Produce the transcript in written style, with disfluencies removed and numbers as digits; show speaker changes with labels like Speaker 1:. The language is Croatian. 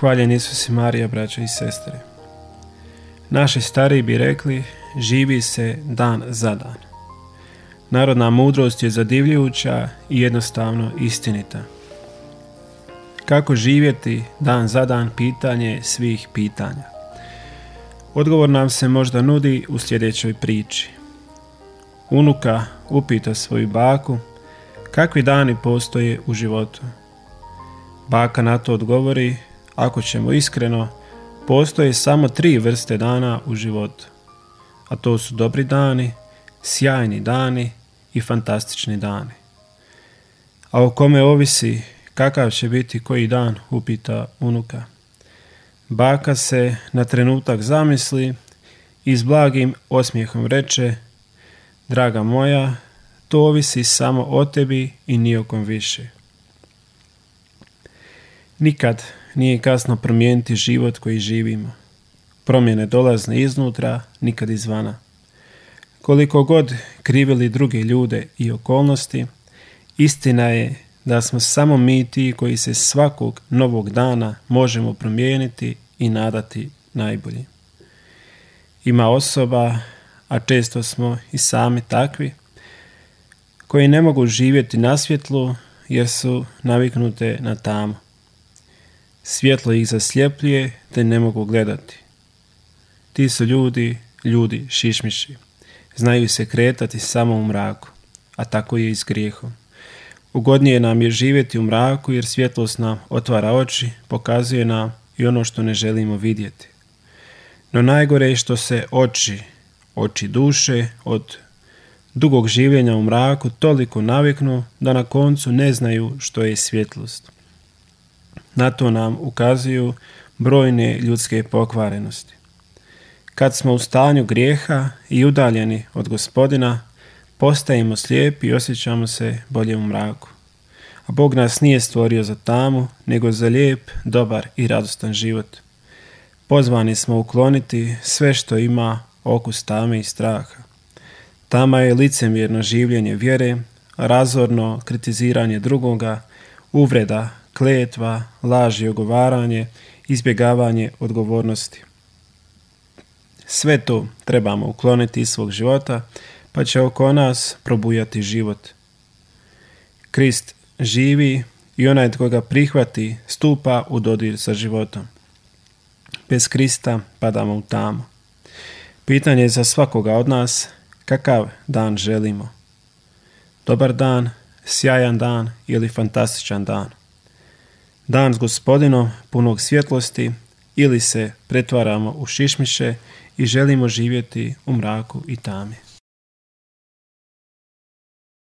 Speaker 1: Hvaljen Isus i Marija, braćo i sestre. Naši stariji bi rekli, živi se dan za dan. Narodna mudrost je zadivljujuća i jednostavno istinita. Kako živjeti dan za dan, pitanje svih pitanja. Odgovor nam se možda nudi u sljedećoj priči. Unuka upita svoju baku kakvi dani postoje u životu. Baka na to odgovori, ako ćemo iskreno, postoje samo 3 vrste dana u životu. A to su dobri dani, sjajni dani i fantastični dani. A o kome ovisi kakav će biti koji dan, upita unuka. Baka se na trenutak zamisli i s blagim osmijehom reče, draga moja, to ovisi samo o tebi i ni o kom više. Nikad nije kasno promijeniti život koji živimo. Promjene dolazne iznutra, nikad izvana. Koliko god krivili druge ljude i okolnosti, istina je da smo samo mi ti koji se svakog novog dana možemo promijeniti i nadati najbolji. Ima osoba, a često smo i sami takvi, koji ne mogu živjeti na svjetlu jer su naviknute na tamu. Svjetlo ih zasljepljuje te ne mogu gledati. Ti su ljudi šišmiši. Znaju se kretati samo u mraku, a tako je i s grijehom. Ugodnije nam je živjeti u mraku jer svjetlost nam otvara oči, pokazuje nam i ono što ne želimo vidjeti. No najgore je što se oči duše od dugog življenja u mraku toliko naviknu da na koncu ne znaju što je svjetlost. Na to nam ukazuju brojne ljudske pokvarenosti. Kad smo u stanju grijeha i udaljeni od Gospodina, postajemo slijepi i osjećamo se bolje u mraku. A Bog nas nije stvorio za tamu, nego za lijep, dobar i radostan život. Pozvani smo ukloniti sve što ima okus tame i straha. Tama je licemjerno življenje vjere, razorno kritiziranje drugoga, uvreda, kletva, laž i ogovaranje, izbjegavanje odgovornosti. Sve to trebamo ukloniti iz svog života, pa će oko nas probujati život. Krist živi i onaj tko ga prihvati stupa u dodir sa životom. Bez Krista padamo u tamu. Pitanje je za svakoga od nas, kakav dan želimo? Dobar dan, sjajan dan ili fantastičan dan? Dan s Gospodinom punog svjetlosti ili se pretvaramo u šišmiše i želimo živjeti u mraku i tami.